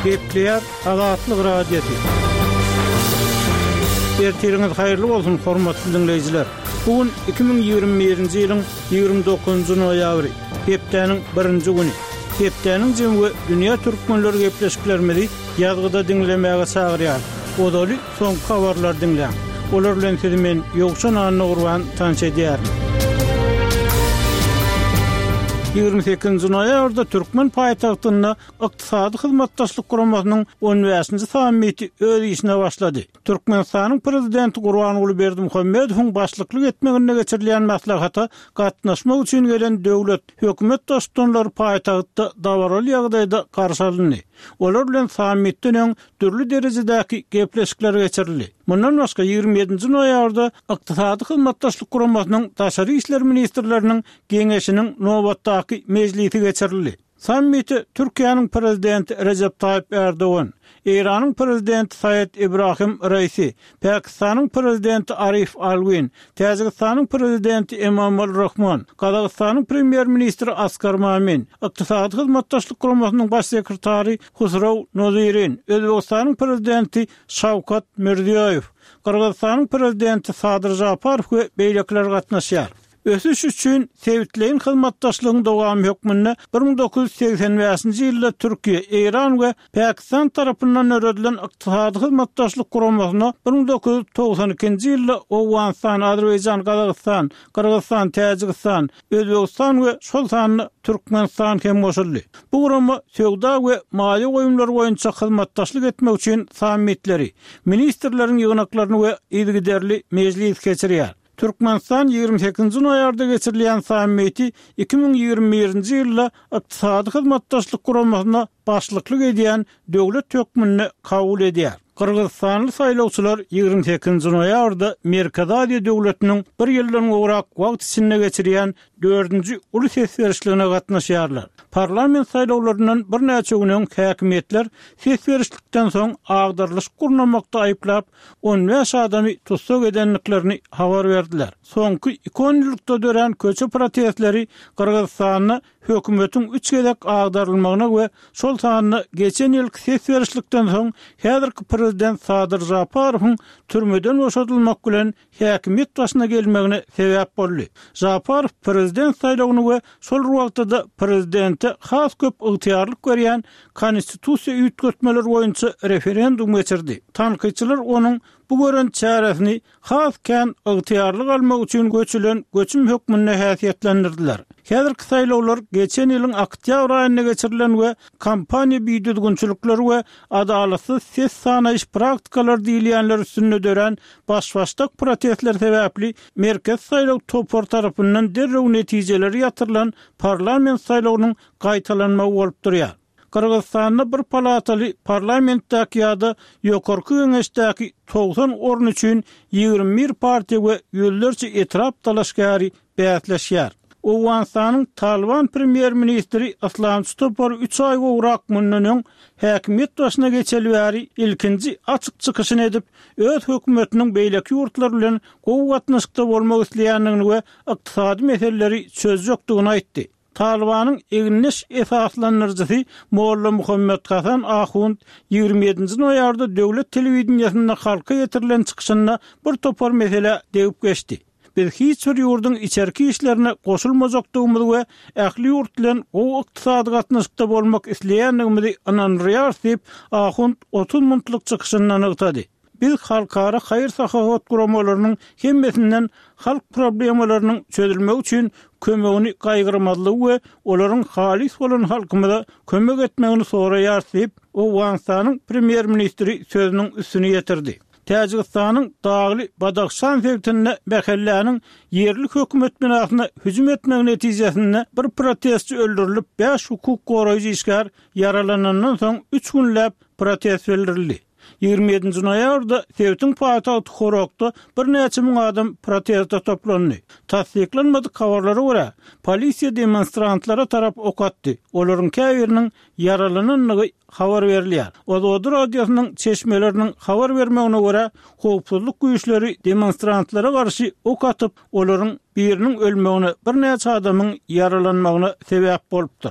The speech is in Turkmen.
Gepleýär Azatlyk Radiosy. Ertiriňiz haýyrly bolsun, hormatly diňleýjiler! Bu gün 2021-nji ýylyň 29-njy noýabry, hepdäniň birinji güni. Hepdäniň jemi we dünýä türkmenleri gepleşiklerimizi ýazgyda diňlemäge çagyrýar. Ozaly soňky habarlary diňläň. Olar bilen sizi men, Ýowşan Annagurban, tanyş edýärin. 28-nji noýabrda türkmen paýtagtynda Ykdysady Hyzmatdaşlyk Guramasynyň on bäşinji sammiti öz işine başlady. Türkmenistanyň Prezidenti Gurbanguly Berdimuhamedowyň başlyklyk etmeginde geçirilýän maslahata gatnaşmak üçin gelen döwlet, hökümet baştutanlary paýtagtda dabaraly ýagdaýda garşy alyndy. Olar bilen sammitden öň dürli derejedäki gepleşikler geçirildi. Mundan başga, 27-nji noýabrda Ykdysady Hyzmatdaşlyk Guramasynyň daşary işler ministrleriniň Geňeşiniň nobatdaky mejlisi geçirildi. Sammite Türkiýäniň Prezidenti Rejep Taýyp Ärdogan, Eýranyň Prezidenti Saýed Ibrahim Raisi, Pakistanyň Prezidenti Arif Alwin, Täjigistanyň Prezidenti Emomali Rahmon, Gazagystanyň Premýer-ministri Askar Mamin, Ykdysady Hyzmatdaşlyk Guramasynyň Baş sekretary Husrow Nozirin, Özbegistanyň Prezidenti Şawkat Mirziýoýew, Gyrgyzystanyň Prezidenti Sadyr Žaparow we beýlekiler gatnaşýar. Ösüş üçin sebitleýin hyzmatdaşlygyň dowamy hökmünde 1985-nji ýylda Türkiýe, Eýran we Pakistan tarapyndan döredilen Ykdysady Hyzmatdaşlyk Guramasyna 1992-nji ýylda Owganystan, Azerbaýjan, Gazagystan, Gyrgyzystan, Täjigistan, Özbegistan we şol sanda Türkmenistan hem goşuldy. Bu gurama söwda we maýa goýumlary boýunça hyzmatdaşlyk etmek üçin sammitleri, ministrleriň ýygnaklaryny we yzygiderli mejlis geçirýär. Türkmenistan 28-nji noýabrda geçirilýän sammiti 2021-nji ýylda Ykdysady Hyzmatdaşlyk Guramasyna başlyklyk edýän döwlet hökmünde kabul edýär. Gyrgyzystanly saýlawçylar 28-nji noýabrda Merkezi Aziýa döwletiniň bir ýyldan gowrak wagt içinde geçirýän dördünji uly ses berişligine gatnaşýarlar. Parlament saýlawlaryndan birnäçe gün öň häkimiýetler ses berişlikden soň agdarylyşyk gurnamakda aýyplap, 15 adamy tussag edendiklerini habar berdiler. Soňky iki onýyllykda dörän köçe protestleri Gyrgyzystanda hökümetiň üç gezek agdarylmagyna we şol sanda geçen ýylky ses berişlikden soň häzirki prezident Sadyr Žaparowyň türmeden boşadylmak bilen häkimiýet başyna gelmegine sebäp boldy. Žaparow prezident saýlawyny we şol bir wagtda-da prezidente has köp ygtyýarlyk berýän konstitusiýa üýtgetmeleri boýunça referendum geçirdi. Tankytçylar onuň bu gören çäresini has kän ygtyýarlyk almak üçin göçülen göçüm hökmünde häsiýetlendirdiler. Häzirki saýlawlar geçen ýylyň oktýabr aýynda geçirilen we kampaniýa bidüzgünçilikleri we adalatsyz ses sanaýyş praktikalary diýilýänler üstünde dörän Baş-başdak protestler sebäpli Merkezi saýlaw topary tarapyndan derrew netijeleri ýatyrylan parlament saýlawynyň gaýtalanmagy bolup durýar. Gyrgyzystanda bir palataly parlamentdäki ýa-da Ýokarky Geňeşdäki 90 orun üçin 21 partiýa we ýüzlerçe etrap dalaşgäri bäsleşýär. Owganystanyň Talyban premýer-ministri yslamçy topary üç aý gowrak mundan öň häkimiýet başyna geçeli bäri ilkinji açyk çykyşyny edip, öz hökümetiniň beýleki ýurtlar bilen gowy gatnaşykda bolmak isleýändigini we ykdysady meseleleri çözjekdigini aýtdy. Talybanyň egindeş esaslandyryjysy Molla Muhammet Hasan Ahund 27-nji noýabrda döwlet telewideniýesinde halka ýetirilen çykyşynda bir topar meselä degip geçdi. Biz hiç bir ýurduň içerki işlerine goşulmajakdygymyzy we ähli ýurt bilen gowy ykdysady gatnaşykda bolmak isleýändigimizi ynandyrýarys diýip, Ahund 30 minutlyk çykyşynda nygtady. Biz halkara haýyr-sahawat guramalarynyň hemmesinden halk problemalarynyň çözülmegi üçin kömegini gaýgyrmazlygy we olaryň halys bolan halkymyza kömek etmegini soraýarys diýip, Owganystanyň premýer-ministri sözüniň üstüni ýetirdi. Täjigistanyň dagly Badahşan sebitinde mähelläniň ýerli hökümet binasyna hüjüm etmegi netijesinde bir protestçi öldürilip, bäş hukuk goraýjy işgär ýaralanandan soň üç günläp protest bildirildi. 27-nji noýabrda sebitiň paýtagty Horokda birnäçe müň adam proteste toplandy. Tassyklanmadyk habarlara görä, polisiýa demonstrantlara tarap ok atdy, olaryň käbiriniň ýaralanandygy habar berilýär. Ozody radiosynyň çeşmeleriniň habar bermegine görä, howpsuzlyk güýçleri demonstrantlara garşy ok atyp, olaryň biriniň ölmegine, birnäçe adamyň ýaralanmagyna sebäp bolupdyr.